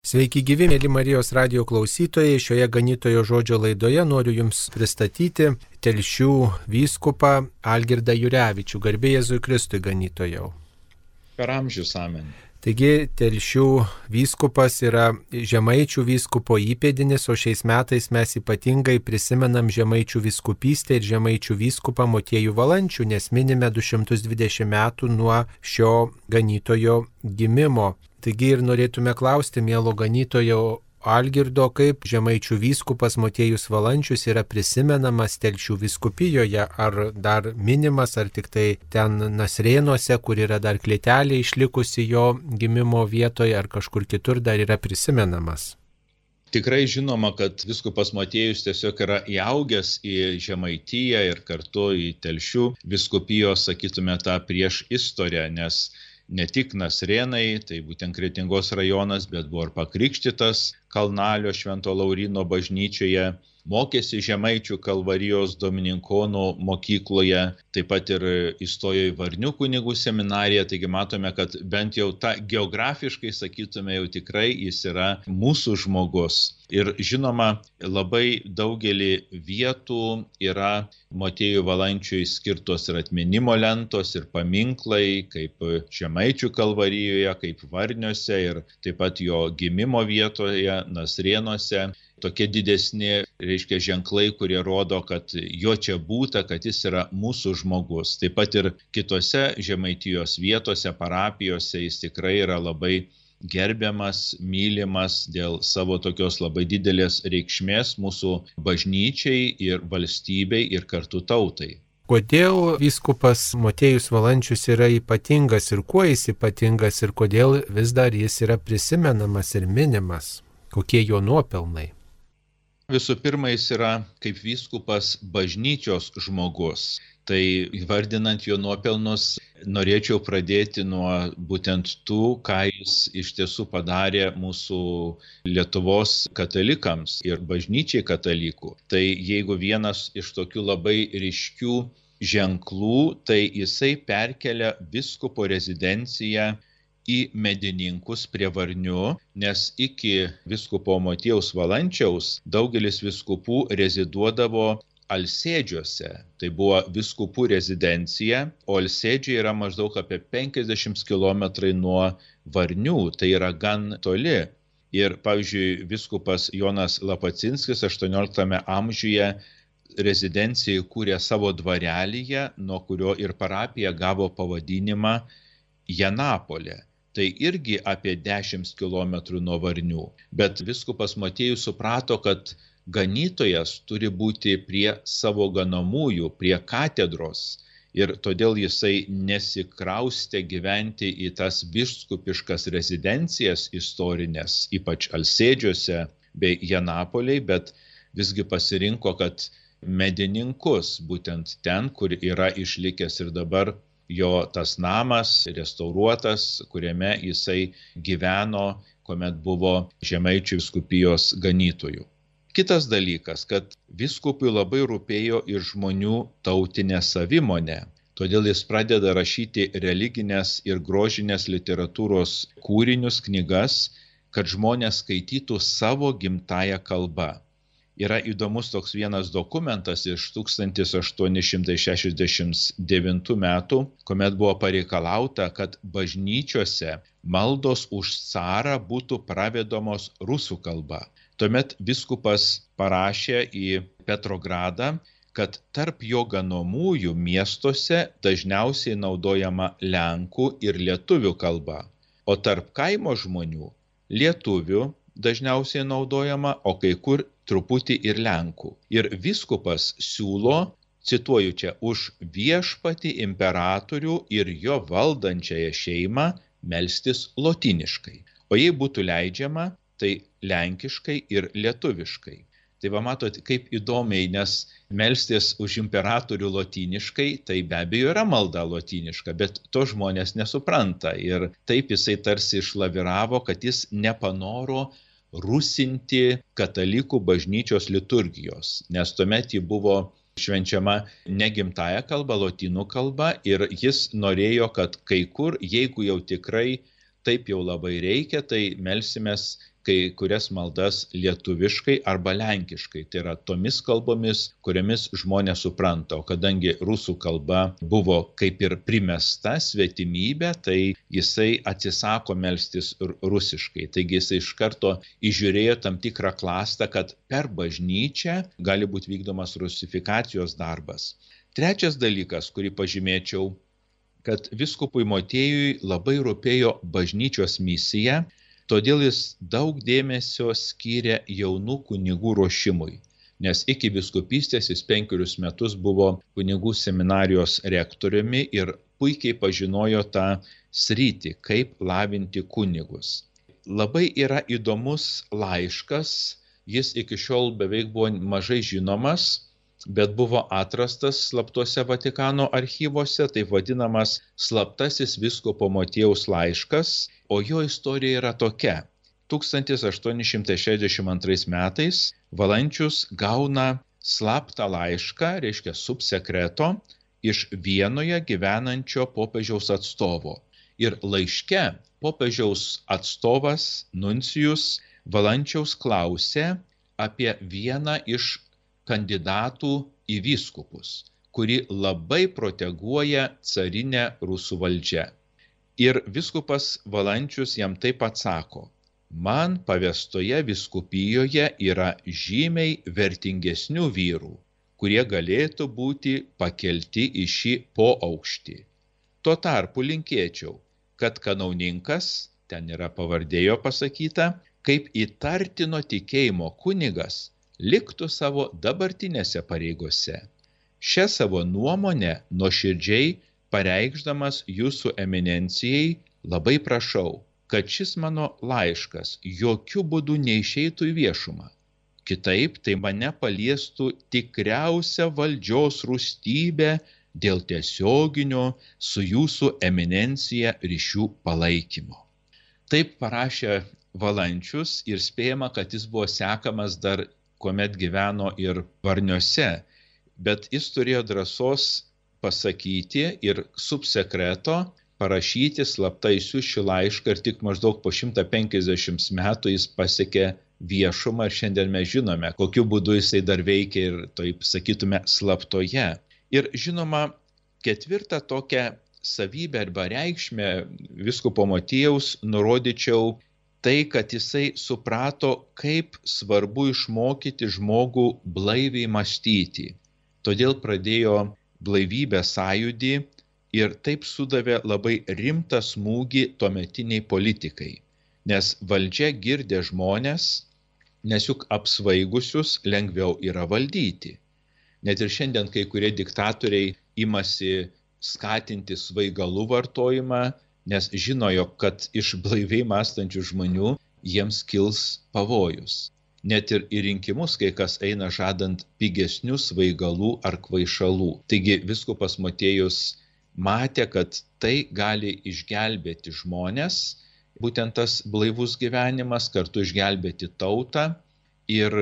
Sveiki gyvi, mėly Marijos radijo klausytojai. Šioje ganytojo žodžio laidoje noriu Jums pristatyti Telšių vyskupą Algirdą Jurevičių. Garbė Jėzui Kristui, ganytojau. Per amžius amen. Taigi Telšių vyskupas yra Žemaičių vyskupo įpėdinis, o šiais metais mes ypatingai prisimenam Žemaičių vyskupystę ir Žemaičių vyskupą Motiejų Valančių, nes minime 220 metų nuo šio ganytojo gimimo. Taigi ir norėtume klausti mielo ganytojo Algirdo, kaip Žemaičių vyskupas Motiejus Valančius yra prisimenamas Telšių vyskupijoje, ar dar minimas, ar tik tai ten Nasrėnuose, kur yra dar klėtelė išlikusi jo gimimo vietoje, ar kažkur kitur dar yra prisimenamas. Tikrai žinoma, kad vyskupas Motiejus tiesiog yra įaugęs į Žemaitiją ir kartu į Telšių vyskupijos, sakytume, tą prieš istoriją, nes ne tik Nasrėnai, tai būtent Kretingos rajonas, bet buvo ir pakrikštytas Kalnalio Švento Lauryno bažnyčioje, mokėsi Žemaičių Kalvarijos Domininkonų mokykloje, taip pat ir įstojo į Varnių kunigų seminariją, taigi matome, kad bent jau geografiškai, sakytume, jau tikrai jis yra mūsų žmogus. Ir žinoma, labai daugelį vietų yra Motiejui Valančiui skirtos ir atminimo lentos, ir paminklai, kaip Žemaičių Kalvarijoje, kaip Varniuose, ir taip pat jo gimimo vietoje, Nasrėnuose. Tokie didesni, ženklai, kurie rodo, kad jo čia būta, kad jis yra mūsų žmogus. Taip pat ir kitose Žemaitijos vietose, parapijose jis tikrai yra labai gerbiamas, mylimas dėl savo tokios labai didelės reikšmės mūsų bažnyčiai ir valstybei ir kartu tautai. Kodėl vyskupas Motiejus Valančius yra ypatingas ir kuo jis ypatingas ir kodėl vis dar jis yra prisimenamas ir minimas? Kokie jo nuopelnai? Visų pirma, jis yra kaip vyskupas bažnyčios žmogus. Tai įvardinant jo nuopelnus, norėčiau pradėti nuo būtent tų, ką jis iš tiesų padarė mūsų Lietuvos katalikams ir bažnyčiai katalikų. Tai jeigu vienas iš tokių labai ryškių ženklų, tai jisai perkelia vyskupo rezidenciją į Medininkus prie Varnių, nes iki vyskupo Motiejaus Valančiaus daugelis vyskupų reziduodavo Alsėdžiuose. Tai buvo vyskupų rezidencija, o Alsėdžiai yra maždaug apie 50 km nuo Varnių, tai yra gan toli. Ir pavyzdžiui, vyskupas Jonas Lapacinskis 18 amžiuje rezidencijai kūrė savo dvarelyje, nuo kurio ir parapija gavo pavadinimą Janapolė. Tai irgi apie 10 km nuo Varnių. Bet vyskupas Motiejus suprato, kad ganytojas turi būti prie savo ganomųjų, prie katedros. Ir todėl jisai nesikraustė gyventi į tas vyskupiškas rezidencijas istorinės, ypač Alsėdžiuose bei Janapoliai, bet visgi pasirinko, kad Medininkus, būtent ten, kur yra išlikęs ir dabar jo tas namas, restauruotas, kuriame jisai gyveno, kuomet buvo Žemaičių vyskupijos ganytojų. Kitas dalykas, kad vyskupui labai rūpėjo ir žmonių tautinė savimonė. Todėl jis pradeda rašyti religinės ir grožinės literatūros kūrinius, knygas, kad žmonės skaitytų savo gimtąją kalbą. Yra įdomus toks vienas dokumentas iš 1869 metų, kuomet buvo pareikalauta, kad bažnyčiose maldos už carą būtų pravedamos rusų kalba. Tuomet vyskupas parašė į Petrogradą, kad tarp jo ganomųjų miestuose dažniausiai naudojama lenkų ir lietuvių kalba, o tarp kaimo žmonių lietuvių dažniausiai naudojama, o kai kur truputį ir lenkų. Ir vyskupas siūlo, cituoju čia, už viešpatį imperatorių ir jo valdančiąją šeimą melstis lotyniškai. O jei būtų leidžiama, tai lenkiškai ir lietuviškai. Tai va matot, kaip įdomiai, nes melstis už imperatorių lotyniškai, tai be abejo yra malda lotyniška, bet to žmonės nesupranta. Ir taip jisai tarsi išlaviravo, kad jis nepanoro rusinti katalikų bažnyčios liturgijos, nes tuomet ji buvo švenčiama ne gimtąja kalba, lotynų kalba, ir jis norėjo, kad kai kur, jeigu jau tikrai taip jau labai reikia, tai melsimės kai kurias maldas lietuviškai arba lenkiškai, tai yra tomis kalbomis, kuriamis žmonės supranta, o kadangi rusų kalba buvo kaip ir primesta svetimybė, tai jisai atsisako melstis rusiškai. Taigi jisai iš karto įžiūrėjo tam tikrą klastą, kad per bažnyčią gali būti vykdomas rusifikacijos darbas. Trečias dalykas, kurį pažymėčiau, kad vyskupui Motiejui labai rūpėjo bažnyčios misija, todėl jis daug dėmesio skyrė jaunų kunigų ruošimui, nes iki vyskupystės jis 5 metus buvo kunigų seminarijos rektoriumi ir puikiai pažinojo tą sritį, kaip lavinti kunigus. Labai yra įdomus laiškas, jis iki šiol beveik buvo mažai žinomas, bet buvo atrastas slaptuose Vatikano archyvuose, taip vadinamas slaptasis vyskupo Motiejaus laiškas, o jo istorija yra tokia. 1862 metais Valančius gauna slaptą laišką, reiškia subsekreto, iš Vienoje gyvenančio popiežiaus atstovo. Ir laiške popiežiaus atstovas nuncijus Valančiaus klausė apie vieną iš kandidatų į vyskupus, kuri labai proteguoja carinę rusų valdžią. Ir vyskupas Valančius jam taip atsako: man pavestoje vyskupijoje yra žymiai vertingesnių vyrų, kurie galėtų būti pakelti į šį poaukštį. Tuo tarpu linkėčiau, kad kanauninkas, ten yra pavardėjo pasakyta, kaip įtartino tikėjimo kunigas, liktų savo dabartinėse pareigose. Šią savo nuomonę nuoširdžiai pareikšdamas jūsų eminencijai labai prašau, kad šis mano laiškas jokių būdų neišeitų į viešumą. Kitaip tai mane paliestų tikriausia valdžios rūstybė dėl tiesioginio su jūsų eminencija ryšių palaikymo. Taip parašė Valančius ir spėjama, kad jis buvo sekamas dar kuomet gyveno ir Varniuose, bet jis turėjo drąsos pasakyti ir subsekreto parašyti slaptai šį laišką ir tik maždaug po 150 metų jis pasiekė viešumą ir šiandien mes žinome, kokiu būdu jisai dar veikia ir taip sakytume slaptoje. Ir žinoma, ketvirtą tokią savybę arba reikšmę vyskupo Motiejaus nurodyčiau tai, kad jisai suprato, kaip svarbu išmokyti žmogų blaiviai mąstyti. Todėl pradėjo blaivybės sąjūdį ir taip sudavė labai rimtą smūgį tuometiniai politikai. Nes valdžia girdė žmonės, nes juk apsvaigusius lengviau yra valdyti. Net ir šiandien kai kurie diktatoriai imasi skatinti svaigalų vartojimą, nes žinojo, kad iš blaiviai mąstančių žmonių jiems kils pavojus. Net ir į rinkimus kai kas eina žadant pigesnių svaigalų ar kvaišalų. Taigi vyskupas Motiejus matė, kad tai gali išgelbėti žmonės, būtent tas blaivus gyvenimas, kartu išgelbėti tautą ir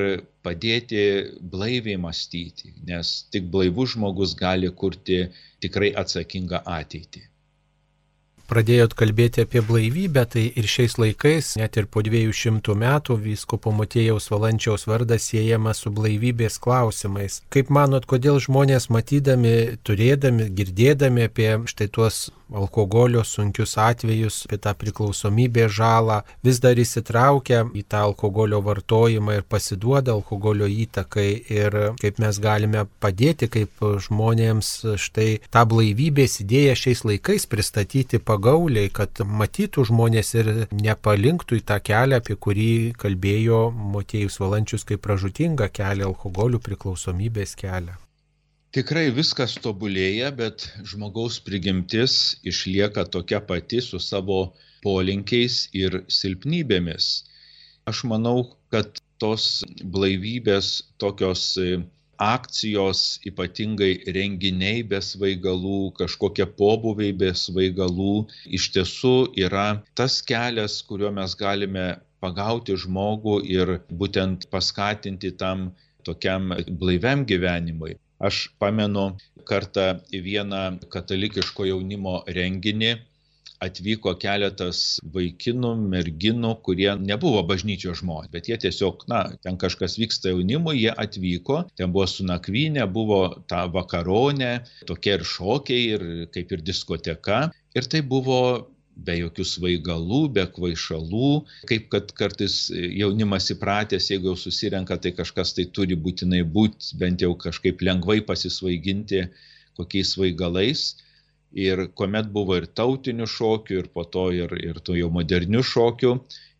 padėti blaiviai mąstyti, nes tik blaivus žmogus gali kurti tikrai atsakingą ateitį. Pradėjot kalbėti apie blaivybę, tai ir šiais laikais, net ir po 200 metų, vyskupo Motiejaus Valančiaus vardas siejamas su blaivybės klausimais. Kaip manot, kodėl žmonės matydami, turėdami, girdėdami apie štai tuos alkoholio sunkius atvejus, apie tą priklausomybės žalą, vis dar įsitraukia į tą alkoholio vartojimą ir pasiduoda alkoholio įtakai ir kaip mes galime padėti, kaip žmonėms štai tą blaivybės idėją šiais laikais pristatyti pagauliai, kad matytų žmonės ir nepalinktų į tą kelią, apie kurį kalbėjo Motiejus Valančius kaip pražūtingą kelią, alkoholio priklausomybės kelią. Tikrai viskas tobulėja, bet žmogaus prigimtis išlieka tokia pati su savo polinkiais ir silpnybėmis. Aš manau, kad tos blaivybės tokios akcijos, ypatingai renginiai be svaigalų, kažkokie pobūviai be svaigalų, iš tiesų yra tas kelias, kuriuo mes galime pagauti žmogų ir būtent paskatinti tam tokiam blaiviam gyvenimui. Aš pamenu kartą vieną katalikiško jaunimo renginį, atvyko keletas vaikinų, merginų, kurie nebuvo bažnyčios žmonės, bet jie tiesiog, ten kažkas vyksta jaunimui, jie atvyko, ten buvo su nakvynė, buvo ta vakaronė, tokie ir šokiai, ir kaip ir diskoteka, ir tai buvo be jokių svaigalų, be kvaišalų, kaip kad kartais jaunimas įpratęs, jeigu jau susirenka, tai kažkas tai turi būtinai būti, bent jau kažkaip lengvai pasisvaiginti kokiais svaigalais. Ir kuomet buvo ir tautinių šokių, ir po to ir tų jau modernių šokių.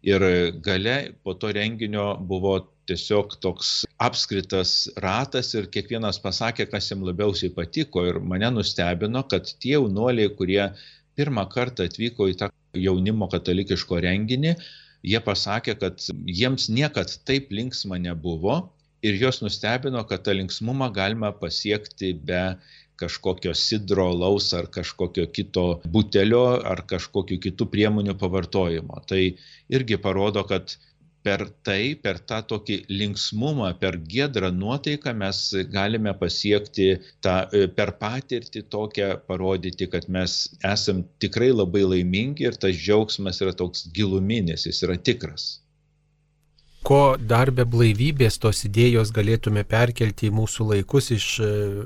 Ir gale po to renginio buvo tiesiog toks apskritas ratas ir kiekvienas pasakė, kas jam labiausiai patiko. Ir mane nustebino, kad tie jaunuoliai, kurie pirmą kartą atvyko į tą jaunimo katalikiško renginį, jie pasakė, kad jiems niekad taip linksma nebuvo ir juos nustebino, kad tą linksmumą galima pasiekti be kažkokio sidro, alaus ar kažkokio kito butelio ar kažkokių kitų priemonių pavartojimo. Tai irgi parodo, kad per tą tokį linksmumą, per giedrą nuotaiką mes galime pasiekti per patirtį tokią parodyti, kad mes esam tikrai labai laimingi ir tas džiaugsmas yra toks giluminis, jis yra tikras. Ko dar be blaivybės tos idėjos galėtume perkelti į mūsų laikus iš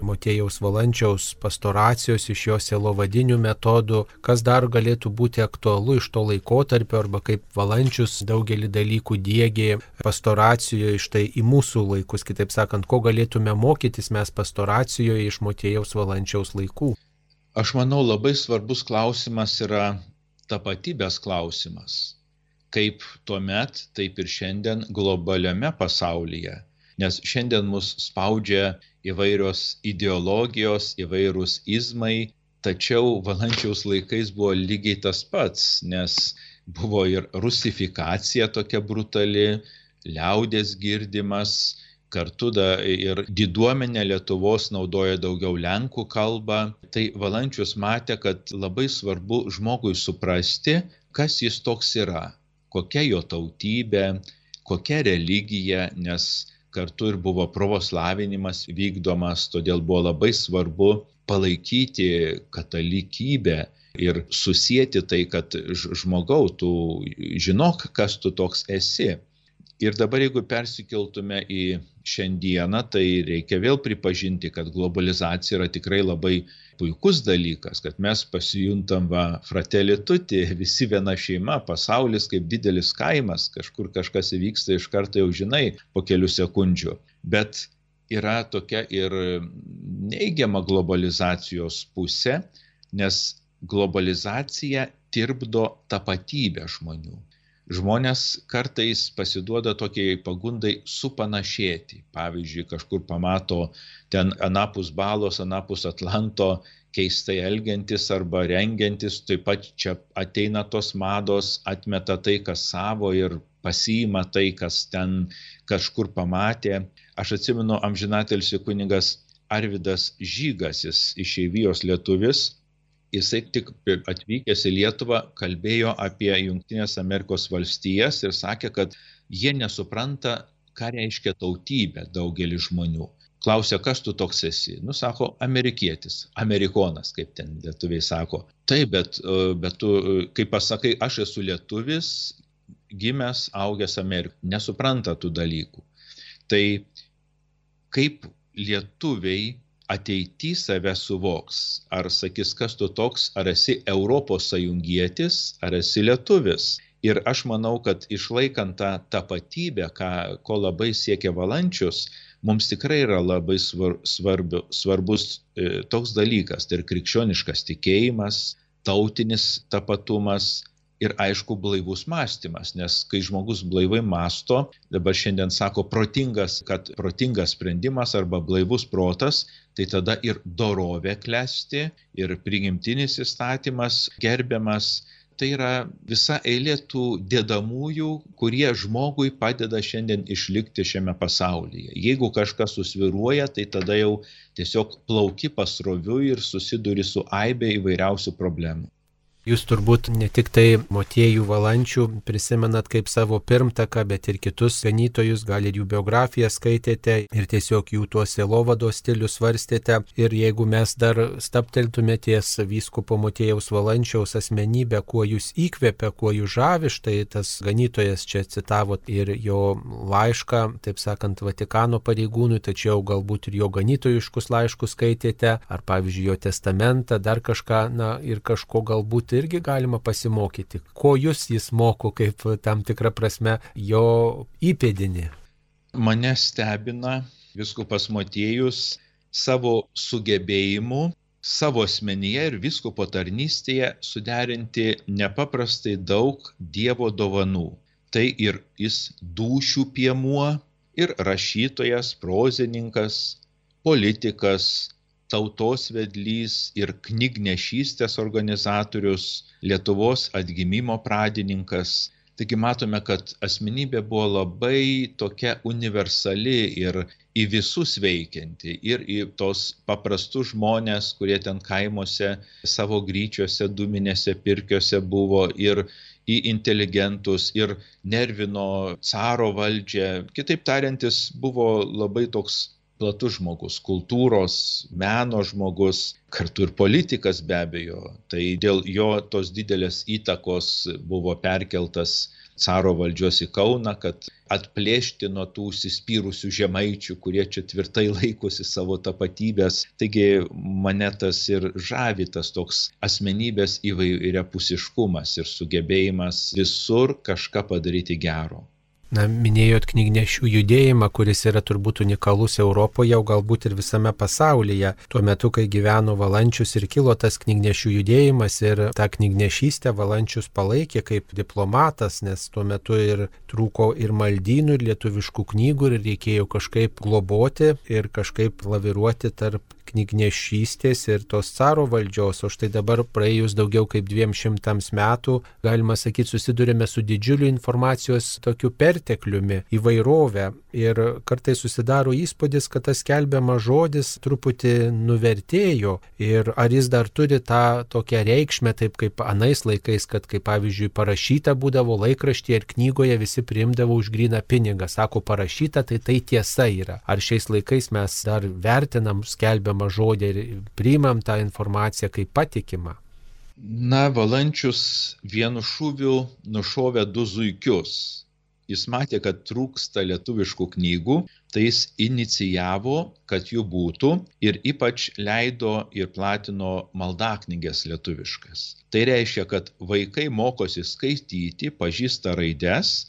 Motiejaus Valančiaus pastoracijos, iš jo sielovadinių metodų, kas dar galėtų būti aktualu iš to laikotarpio arba kaip Valančius daugelį dalykų diegė pastoracijoje štai į mūsų laikus, kitaip sakant, ko galėtume mokytis mes pastoracijoje iš Motiejaus Valančiaus laikų. Aš manau, labai svarbus klausimas yra tapatybės klausimas. Kaip tuomet, taip ir šiandien globaliame pasaulyje. Nes šiandien mus spaudžia įvairios ideologijos, įvairūs izmai, tačiau Valančiaus laikais buvo lygiai tas pats, nes buvo ir rusifikacija tokia brutali, liaudės girdimas, kartu ir diduomenė Lietuvos naudoja daugiau lenkų kalbą. Tai Valančius matė, kad labai svarbu žmogui suprasti, kas jis toks yra. Kokia jo tautybė, kokia religija, nes kartu ir buvo pravoslavinimas vykdomas, todėl buvo labai svarbu palaikyti katalikybę ir susieti tai, kad žmogau, tu žinok, kas tu toks esi. Ir dabar, jeigu persikeltume į šiandieną, tai reikia vėl pripažinti, kad globalizacija yra tikrai labai puikus dalykas, kad mes pasijuntam fratelli tutti, visi viena šeima, pasaulis kaip didelis kaimas, kažkur kažkas įvyksta, iš karto jau žinai po kelių sekundžių. Bet yra tokia ir neigiama globalizacijos pusė, nes globalizacija tirpdo tapatybę žmonių. Žmonės kartais pasiduoda tokiai pagundai supanašėti. Pavyzdžiui, kažkur pamato ten anapus balos, anapus Atlanto keistai elgiantis arba rengiantis, taip pat čia ateina tos mados, atmeta tai, kas savo ir pasiima tai, kas ten kažkur pamatė. Aš atsimenu amžinatilsį kunigas Arvydas Žygas, jis išeivijos lietuvis. Jisai tik atvykęs į Lietuvą kalbėjo apie Jungtinės Amerikos valstijas ir sakė, kad jie nesupranta, ką reiškia tautybė daugelis žmonių. Klausė, kas tu toks esi? Sako, amerikietis, amerikonas, kaip ten lietuviai sako. Taip, bet tu, kaip pasakai, aš esu lietuvis, gimęs, augęs Amerikoje. Nesupranta tų dalykų. Tai kaip lietuviai ateity save suvoks, ar sakys, kas tu toks, ar esi Europos sąjungietis, ar esi lietuvis. Ir aš manau, kad išlaikant tą tapatybę, ko labai siekia Valančius, mums tikrai yra labai svarbus toks dalykas, tai ir krikščioniškas tikėjimas, tautinis tapatumas ir aišku blaivus mąstymas, nes kai žmogus blaivai mąsto, dabar šiandien sako protingas sprendimas arba blaivus protas, tai tada ir dorovė klesti, ir prigimtinis įstatymas gerbiamas. Tai yra visa eilė tų dedamųjų, kurie žmogui padeda šiandien išlikti šiame pasaulyje. Jeigu kažkas susvyruoja, tai tada jau tiesiog plauki pasroviui ir susiduri su aibė įvairiausių problemų. Jūs turbūt ne tik tai Motiejų Valančių prisimenat kaip savo pirmtaką, bet ir kitus ganytojus, gal ir jų biografiją skaitėte ir tiesiog jų tuos sielovados stilius svarstėte. Ir jeigu mes dar stabteltume ties vyskupo Motiejaus Valančiaus asmenybę, kuo jūs įkvepia, kuo jūs žavi, štai tas ganytojas čia citavo ir jo laišką, taip sakant, Vatikano pareigūnui, tačiau galbūt ir jo ganytojiškus laiškus skaitėte, ar pavyzdžiui jo testamentą, dar kažką, ir kažko galbūt irgi galima pasimokyti. Ko jis moko kaip tam tikrą prasme jo įpėdinį? Mane stebina vyskupas Motiejus savo sugebėjimu, savo asmenyje ir vyskupo tarnystėje suderinti nepaprastai daug Dievo dovanų. Tai ir jis dūšių piemuo, ir rašytojas, prozininkas, politikas, tautos vedlys ir knygnešystės organizatorius, Lietuvos atgimimo pradininkas. Taigi matome, kad asmenybė buvo labai tokia universali ir į visus veikianti, ir į tos paprastus žmonės, kurie ten kaimuose, savo gryčiuose, dūminėse pirkiuose buvo, ir į inteligentus, ir nervino caro valdžią. Kitaip tariant, jis buvo labai toks platus žmogus, kultūros, meno žmogus, kartu ir politikas be abejo. Tai dėl jo tos didelės įtakos buvo perkeltas caro valdžios į Kauną, kad atplėšti nuo tų užsispyrusių žemaičių, kurie čia tvirtai laikosi savo tapatybės. Taigi mane tas ir žavi, tas toks asmenybės įvairiapusiškumas ir sugebėjimas visur kažką padaryti gero. Minėjot knygnešių judėjimą, kuris yra turbūt unikalus Europoje, o galbūt ir visame pasaulyje. Tuo metu, kai gyveno Valančius ir kilo tas knygnešių judėjimas, ir tą knygnešystę Valančius palaikė kaip diplomatas, nes tuo metu ir trūko ir maldynų, ir lietuviškų knygų, ir reikėjo kažkaip globoti ir kažkaip laviruoti tarp knygnešystės ir tos caro valdžios. O štai dabar praėjus daugiau kaip 200 metų, galima sakyti, susidurėme su didžiuliu informacijos tokiu pertekliumi, įvairovę. Ir kartais susidaro įspūdis, kad tas skelbiamas žodis truputį nuvertėjo. Ir ar jis dar turi tą tokią reikšmę, taip kaip anais laikais, kad kaip pavyzdžiui parašyta būdavo laikraštyje ir knygoje visi priimdavo už gryną pinigą. Sako parašyta, tai tiesa yra. Ar šiais laikais mes dar vertinam skelbiamą žodį ir priimam tą informaciją kaip patikimą? Valančius vienu šūviu nušovė 2 zuikius. Jis matė, kad trūksta lietuviškų knygų, tai jis inicijavo, kad jų būtų, ir ypač leido ir platino maldaknyges lietuviškas. Tai reiškia, kad vaikai mokosi skaityti, pažįsta raides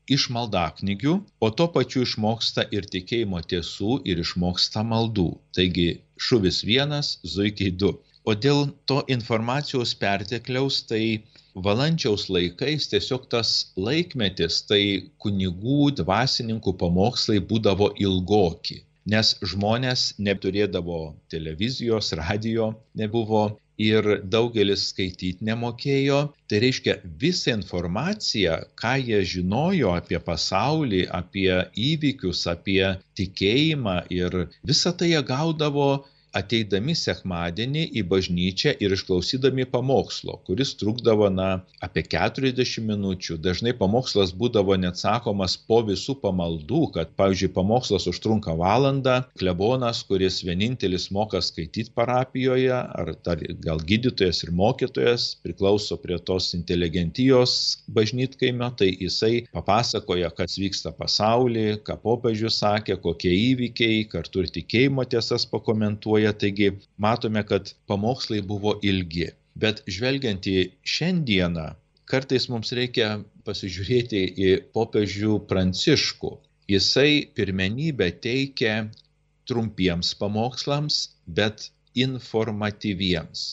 iš maldaknygių, o tuo pačiu išmoksta ir tikėjimo tiesų ir išmoksta maldų. Taigi šūvis 1, zuikiai 2. O dėl to informacijos pertekliaus, tai Valančiaus laikais tiesiog tas laikmetis, tai kunigų, dvasininkų pamokslai būdavo ilgoki, nes žmonės neturėdavo televizijos, radijo nebuvo ir daugelis skaityti nemokėjo. Tai reiškia, visą informaciją, ką jie žinojo apie pasaulį, apie įvykius, apie tikėjimą, ir visą tai jie gaudavo ateidami sekmadienį į bažnyčią ir išklausydami pamokslo, kuris trukdavo apie 40 minučių. Dažnai pamokslas būdavo net sakomas po visų pamaldų, kad, pavyzdžiui, pamokslas užtrunka valandą, klebonas, kuris vienintelis moka skaityti parapijoje, ar gal gydytojas ir mokytojas, priklauso prie tos inteligentijos bažnytkaimio, tai jisai papasakoja, kas vyksta pasaulyje, ką popiežius sakė, kokie įvykiai, kartu ir tikėjimo tiesas pakomentuoja. Taigi matome, kad pamokslai buvo ilgi. Bet žvelgiant į šiandieną, kartais mums reikia pasižiūrėti į popiežių Pranciškų. Jisai pirmenybę teikia trumpiems pamokslams, bet informatyviems.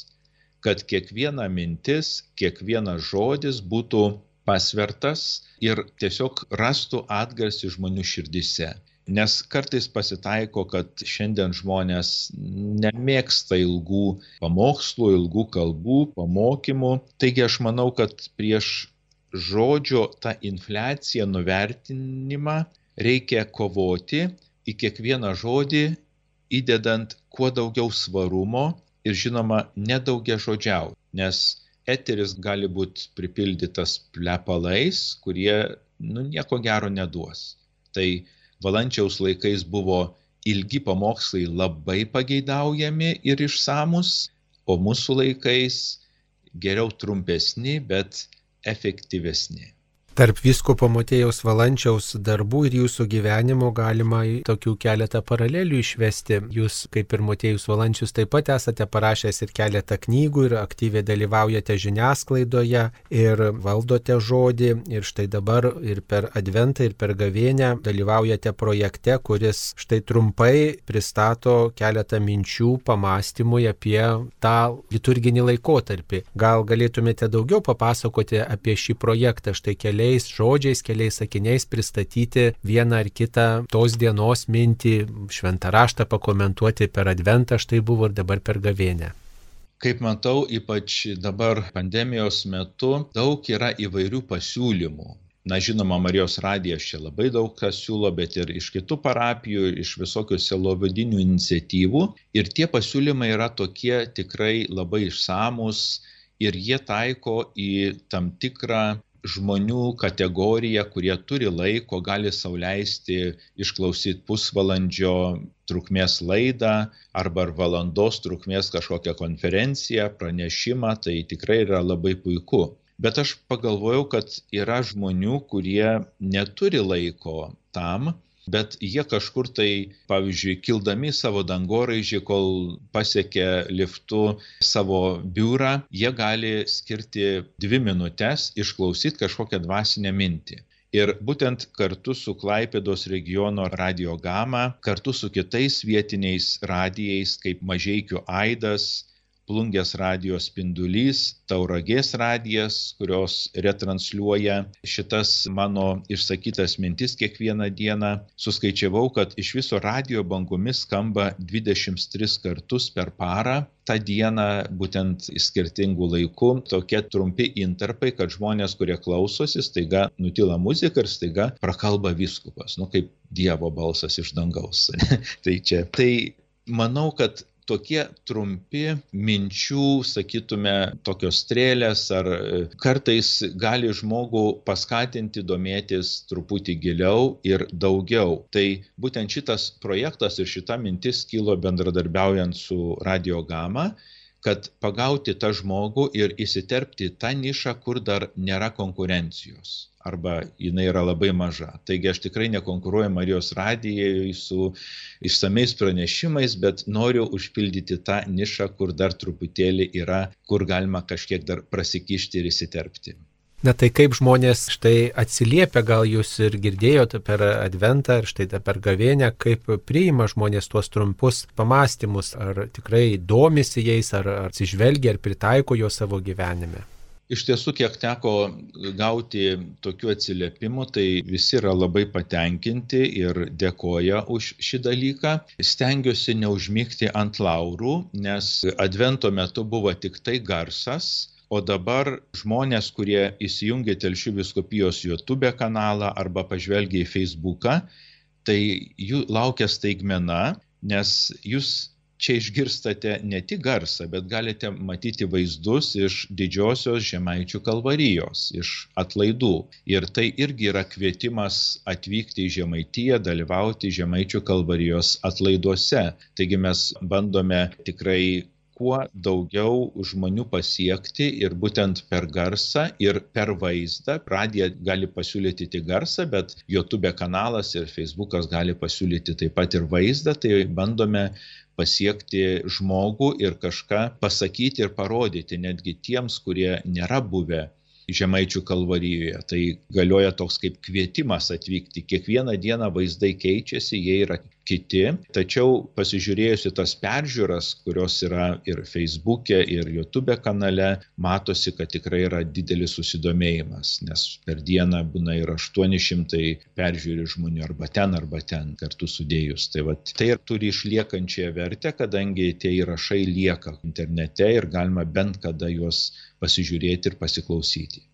Kad kiekviena mintis, kiekvienas žodis būtų pasvertas ir tiesiog rastų atgarsį žmonių širdise. Nes kartais pasitaiko, kad šiandien žmonės nemėgsta ilgų pamokslų, ilgų kalbų, pamokymų. Taigi aš manau, kad prieš žodžio tą infliaciją, nuvertinimą reikia kovoti, į kiekvieną žodį įdedant kuo daugiau svarumo ir žinoma nedaugiažodžiauti. Nes eteris gali būti pripildytas plepalais, kurie nieko gero neduos. Tai Valančiaus laikais buvo ilgi pamokslai labai pageidaujami ir išsamus, o mūsų laikais geriau trumpesni, bet efektyvesni. Tarp vyskupo Motiejaus Valančiaus darbų ir jūsų gyvenimo galima tokių keletą paralelių išvesti. Jūs, kaip ir Motiejus Valančius, taip pat esate parašęs ir keletą knygų ir aktyviai dalyvaujate žiniasklaidoje ir valdote žodį. Ir štai dabar ir per Adventą, ir per Gavėnią dalyvaujate projekte, kuris štai trumpai pristato keletą minčių pamastymui apie tą liturginį laikotarpį. Gal galėtumėte daugiau papasakoti apie šį projektą, štai keliais žodžiais, keliais sakiniais pristatyti vieną ar kitą tos dienos mintį, šventą raštą pakomentuoti per Adventą, štai buvo ir dabar per Gavėnią. Kaip matau, ypač dabar pandemijos metu daug yra įvairių pasiūlymų. Žinoma, Marijos radijas čia labai daug kas siūlo, bet ir iš kitų parapijų, iš visokių sielovadinių iniciatyvų. Ir tie pasiūlymai yra tokie tikrai labai išsamus ir jie taiko į tam tikrą žmonių kategoriją, kurie turi laiko, gali sau leisti išklausyti pusvalandžio trukmės laidą arba valandos trukmės kažkokią konferenciją, pranešimą, tai tikrai yra labai puiku. Bet aš pagalvojau, kad yra žmonių, kurie neturi laiko tam, bet jie kažkur tai, pavyzdžiui, kildami savo dangoraižį, kol pasiekia liftu savo biurą, jie gali skirti 2 minutes išklausyti kažkokią dvasinę mintį. Ir būtent kartu su Klaipėdos regiono Radio Gama, kartu su kitais vietiniais radijais, kaip Mažeikių aidas, Plungės radijo spindulys, Tauragės radijas, kurios retransliuoja šitas mano išsakytas mintis kiekvieną dieną. Suskaičiavau, kad iš viso radijo bangomis skamba 23 kartus per parą. Ta diena būtent skirtingų laikų, tokie trumpi intarpai, kad žmonės, kurie klausosi, staiga nutyla muzika ir staiga prakalba vyskupas, kaip Dievo balsas iš dangaus. Tai manau, kad tokie trumpi minčių, sakytume, tokios strėlės ar kartais gali žmogų paskatinti domėtis truputį giliau ir daugiau. Tai būtent šitas projektas ir šita mintis kilo bendradarbiaujant su Radio Gama, kad pagauti tą žmogų ir įsiterpti tą nišą, kur dar nėra konkurencijos. Arba jinai yra labai maža. Taigi aš tikrai nekonkuruoju Marijos radijai su išsamiais pranešimais, bet noriu užpildyti tą nišą, kur dar truputėlį yra, kur galima kažkiek dar prasikišti ir įsiterpti. Na tai kaip žmonės štai atsiliepia, gal jūs ir girdėjote per Adventą ir štai per Gavėnią, kaip priima žmonės tuos trumpus pamastymus, ar tikrai domisi jais, ar atsižvelgia, ar pritaiko jo savo gyvenime. Iš tiesų, kiek teko gauti tokių atsiliepimų, tai visi yra labai patenkinti ir dėkoja už šį dalyką. Stengiuosi neužmigti ant laurų, nes Advento metu buvo tik tai garsas, o dabar žmonės, kurie įsijungia Telšių vyskupijos YouTube kanalą arba pažvelgia į Facebooką, tai jų laukia staigmena, nes jūs čia išgirstate ne tik garsą, bet galite matyti vaizdus iš didžiosios Žemaičių kalvarijos, iš atlaidų. Ir tai irgi yra kvietimas atvykti į Žemaitiją, dalyvauti Žemaičių kalvarijos atlaiduose. Taigi mes bandome tikrai kuo daugiau žmonių pasiekti ir būtent per garsą ir per vaizdą. Radija gali pasiūlyti tik garsą, bet YouTube kanalas ir Facebookas gali pasiūlyti taip pat ir vaizdą. Tai bandome pasiekti žmogų ir kažką pasakyti ir parodyti netgi tiems, kurie nėra buvę Žemaičių kalvarijoje. Tai galioja toks kaip kvietimas atvykti. Kiekvieną dieną vaizdai keičiasi, jie yra kiti. Tačiau pasižiūrėjus į tas peržiūras, kurios yra ir Facebook'e, ir YouTube kanale, matosi, kad tikrai yra didelis susidomėjimas, nes per dieną būna ir 800 peržiūrų žmonių arba ten kartu sudėjus. Tai turi išliekančią vertę, kadangi tie įrašai lieka internete ir galima bent kada juos pasižiūrėti ir pasiklausyti.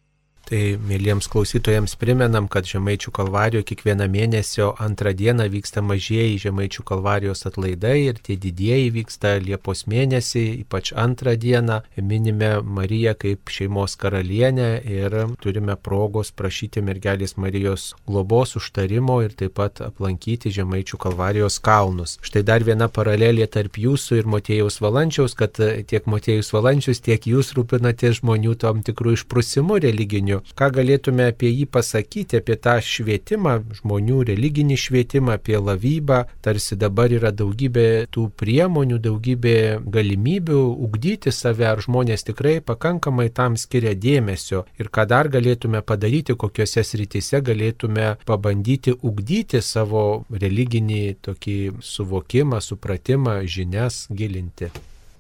Tai mėlyjams klausytojams primenam, kad Žemaičių kalvarijoje kiekvieną mėnesio antrą dieną vyksta mažieji Žemaičių kalvarijos atlaidai ir tie didieji vyksta Liepos mėnesį, ypač antrą dieną. Minime Mariją kaip šeimos karalienę ir turime progos prašyti mergelės Marijos globos užtarimo ir taip pat aplankyti Žemaičių kalvarijos kalnus. Štai dar viena paralelė tarp jūsų ir Motiejaus Valančiaus, kad tiek Motiejus Valančius, tiek jūs rūpinatės žmonių tam tikrų išprusimų religinių. Ką galėtume apie jį pasakyti, apie tą švietimą, žmonių religinį švietimą, apie lavybą, tarsi dabar yra daugybė tų priemonių, daugybė galimybių ugdyti save, ar žmonės tikrai pakankamai tam skiria dėmesio ir ką dar galėtume padaryti, kokiuose srityse galėtume pabandyti ugdyti savo religinį tokį suvokimą, supratimą, žinias gilinti.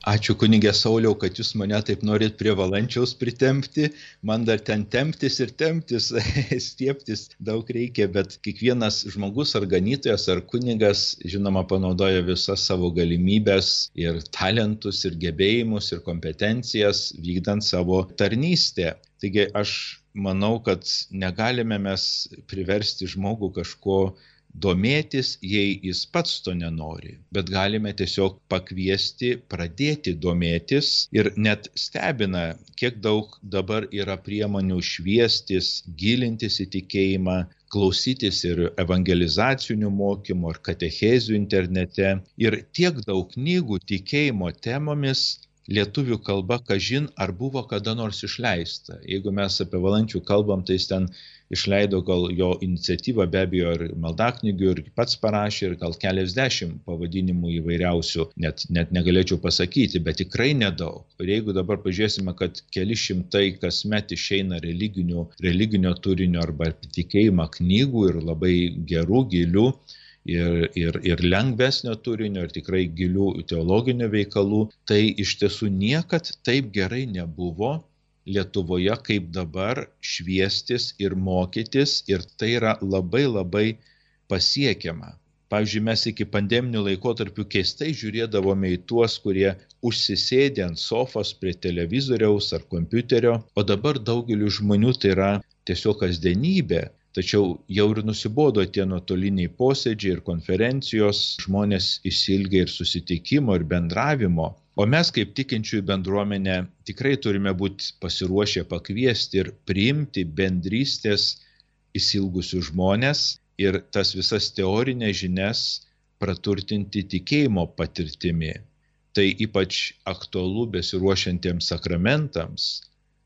Ačiū kunigė Sauliau, kad jūs mane taip norit prie Valančiaus pritempti. Man dar ten temptis ir temptis, stieptis daug reikia, bet kiekvienas žmogus ar ganytojas ar kunigas, žinoma, panaudoja visas savo galimybės ir talentus ir gebėjimus ir kompetencijas vykdant savo tarnystę. Taigi aš manau, kad negalime mes priversti žmogų kažko domėtis, jei jis pats to nenori, bet galime tiesiog pakviesti, pradėti domėtis ir net stebina, kiek daug dabar yra priemonių šviestis, gilintis į tikėjimą, klausytis ir evangelizacinių mokymų ar katechezių internete ir tiek daug knygų tikėjimo temomis lietuvių kalba, kažin ar buvo kada nors išleista. Jeigu mes apie Valančių kalbam, tai jis ten išleido gal jo iniciatyvą, be abejo, ir maldaknygių, ir pats parašė, ir gal keliasdešimt pavadinimų įvairiausių, net negalėčiau pasakyti, bet tikrai nedaug. Ir jeigu dabar pažiūrėsime, kad keli šimtai kasmet išeina religinio turinio arba tikėjimą knygų ir labai gerų, gilių, ir lengvesnio turinio, ir tikrai gilių teologinių veikalų, tai iš tiesų niekad taip gerai nebuvo Lietuvoje kaip dabar šviestis ir mokytis, ir tai yra labai labai pasiekiama. Pavyzdžiui, mes iki pandeminių laikotarpių keistai žiūrėdavome į tuos, kurie užsisėdė ant sofos prie televizoriaus ar kompiuterio, o dabar daugeliu žmonių tai yra tiesiog kasdienybė. Tačiau jau ir nusibodo tie nuotoliniai posėdžiai ir konferencijos, žmonės išsiilgia ir susitikimo, ir bendravimo. O mes kaip tikinčiųjų bendruomenė tikrai turime būti pasiruošę pakviesti ir priimti bendrystės išsiilgusių žmonės ir tas visas teorinės žinias praturtinti tikėjimo patirtimi. Tai ypač aktualu besiruošiantiems sakramentams.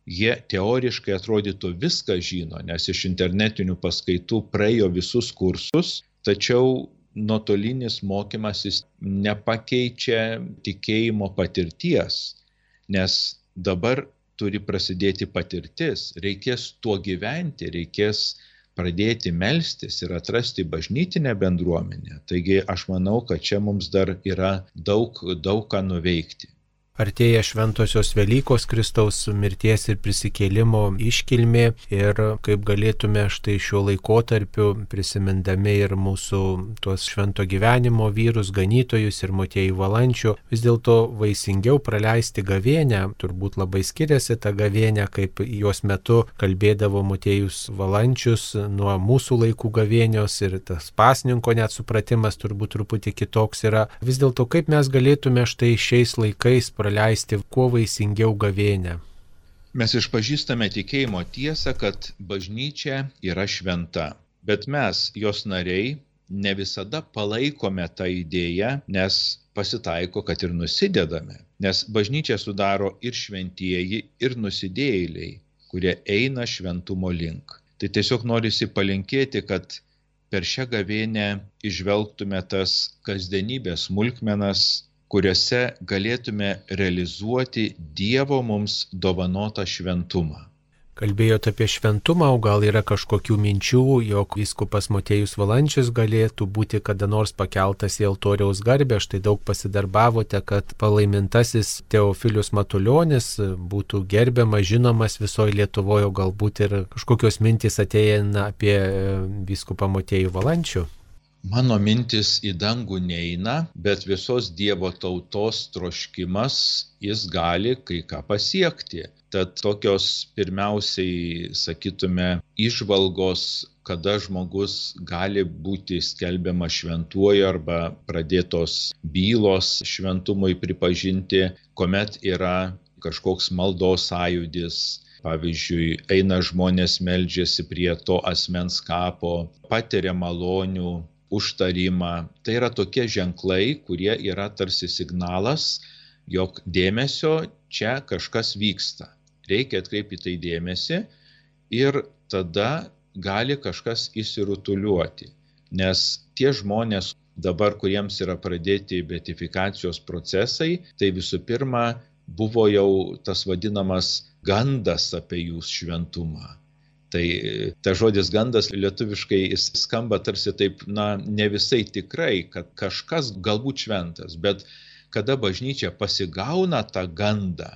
Jie teoriškai atrodytų viską žino, nes iš internetinių paskaitų praėjo visus kursus, tačiau nuotolinis mokymasis nepakeičia tikėjimo patirties, nes dabar turi prasidėti patirtis, reikės tuo gyventi, reikės pradėti melstis ir atrasti bažnytinę bendruomenę. Taigi aš manau, kad čia mums dar yra daug ką nuveikti. Artėja šventosios Velykos, Kristaus mirties ir prisikėlimo iškilmė ir kaip galėtume štai šiuo laikotarpiu, prisimindami ir mūsų tuos švento gyvenimo vyrus, ganytojus ir Motiejų Valančių, vis dėlto vaisingiau praleisti gavėnią. Turbūt labai skiriasi ta gavėnė, kaip jos metu kalbėdavo Motiejus Valančius nuo mūsų laikų gavėnios ir tas pasninko net supratimas turbūt truputį kitoks yra. Vis dėlto kaip mes galėtume štai šiais laikais praleisti kuo vaisingiau gavėnią. Mes išpažįstame tikėjimo tiesą, kad bažnyčia yra šventa, bet mes, jos nariai, ne visada palaikome tą idėją, nes pasitaiko, kad ir nusidedame, nes bažnyčia sudaro ir šventieji, ir nusidėjėliai, kurie eina šventumo link. Tai tiesiog norisi palinkėti, kad per šią gavėnę išvelgtume tas kasdienybės smulkmenas, kuriuose galėtume realizuoti Dievo mums dovanotą šventumą. Kalbėjote apie šventumą, o gal yra kažkokių minčių, jog vyskupas Motiejus Valančius galėtų būti kada nors pakeltas į altoriaus garbę. Štai daug pasidarbavote, kad palaimintasis Teofilius Matulionis būtų gerbiamas, žinomas visoje Lietuvoje, galbūt ir kažkokios mintys ateina apie vyskupą Motiejų Valančių. Mano mintis į dangų neina, bet visos Dievo tautos troškimas, jis gali kai ką pasiekti. Tad tokios pirmiausiai, sakytume, įžvalgos, kada žmogus gali būti skelbiamas šventuoju arba pradėtos bylos šventumui pripažinti, kuomet yra kažkoks maldos sąjūdis. Pavyzdžiui, eina žmonės, meldžiasi prie to asmens kapo, patiria malonių, užtarimą. Tai yra tokie ženklai, kurie yra tarsi signalas, jog dėmesio čia kažkas vyksta. Reikia atkreipti tai dėmesį ir tada gali kažkas išsirutuliuoti. Nes tie žmonės dabar, kuriems yra pradėti beatifikacijos procesai, tai visų pirma buvo jau tas vadinamas gandas apie jų šventumą. Tai ta žodis gandas lietuviškai jis skamba tarsi taip, ne visai tikrai, kad kažkas galbūt šventas, bet kada bažnyčia pasigauna tą gandą,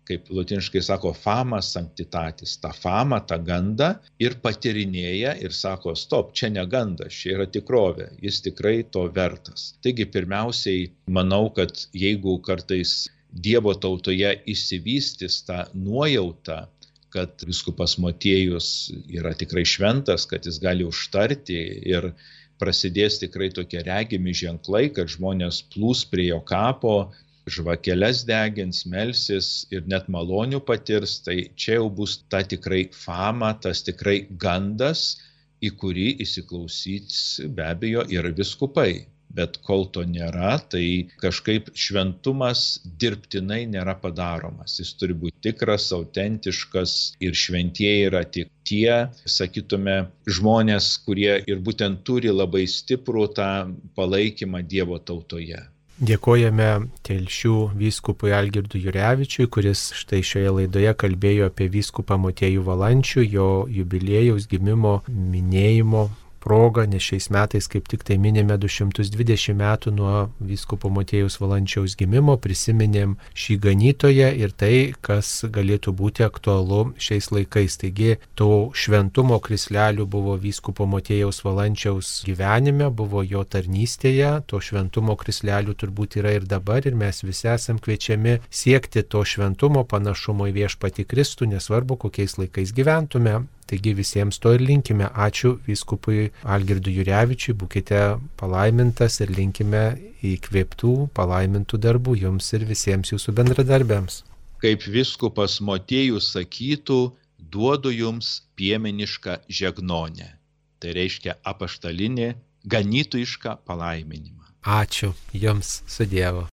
kaip lotiniškai sako fama sanctitatis, tą famą, tą gandą ir patyrinėja ir sako, stop, čia ne gandas, čia yra tikrovė, jis tikrai to vertas. Taigi pirmiausiai manau, kad jeigu kartais Dievo tautoje išsivystys tą nuojautą, kad vyskupas Motiejus yra tikrai šventas, kad jis gali užtarti ir prasidės tikrai tokie regimi ženklai, kad žmonės plūs prie jo kapo, žvakeles degins, melsis ir net malonių patirs, tai čia jau bus ta tikrai fama, tas tikrai gandas, į kurį įsiklausys be abejo ir vyskupai. Bet kol to nėra, tai kažkaip šventumas dirbtinai nėra padaromas. Jis turi būti tikras, autentiškas ir šventieji yra tik tie, sakytume, žmonės, kurie ir būtent turi labai stiprų tą palaikymą Dievo tautoje. Dėkojame Telšių vyskupui Algirdui Jurevičiui, kuris štai šioje laidoje kalbėjo apie vyskupą Motiejų Valančių, jo jubiliejaus gimimo minėjimo proga, nes šiais metais kaip tik tai minime 220 metų nuo vyskupo Motiejaus Valančiaus gimimo, prisiminėm šį ganytoją ir tai, kas galėtų būti aktualu šiais laikais. Taigi, to šventumo krislelių buvo vyskupo Motiejaus Valančiaus gyvenime, buvo jo tarnystėje, to šventumo krislelių turbūt yra ir dabar ir mes visi esam kviečiami siekti to šventumo panašumo į viešpatį Kristų, nesvarbu kokiais laikais gyventume. Taigi visiems to ir linkime. Ačiū vyskupui Algirdui Jurevičiui, būkite palaimintas ir linkime įkvėptų, palaimintų darbų jums ir visiems jūsų bendradarbiams. Kaip vyskupas Motiejus sakytų, duodu jums piemenišką žegnonę. Tai reiškia apaštalinį, ganytojišką palaiminimą. Ačiū jums, su Dievu.